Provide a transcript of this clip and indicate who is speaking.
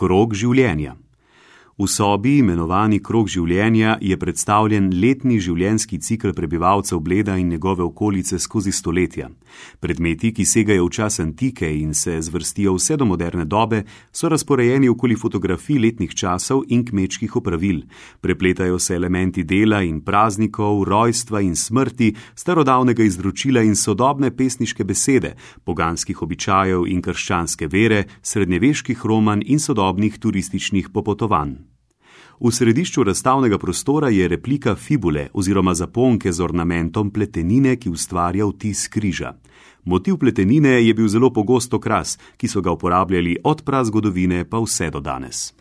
Speaker 1: Krog življenja. V sobi, imenovani krog življenja, je predstavljen letni življenjski cikel prebivalcev Bleda in njegove okolice skozi stoletja. Predmeti, ki segajo v čas antike in se zvrstijo vse do moderne dobe, so razporejeni okoli fotografij letnih časov in kmečkih opravil. Prepletajo se elementi dela in praznikov, rojstva in smrti, starodavnega izročila in sodobne pesniške besede, poganskih običajev in krščanske vere, srednjeveških romanj in sodobnih turističnih popotovanj. V središču razstavnega prostora je replika fibule oziroma zaponke z ornamentom pletenine, ki ustvarja vtis križa. Motiv pletenine je bil zelo pogost okras, ki so ga uporabljali od prazgodovine pa vse do danes.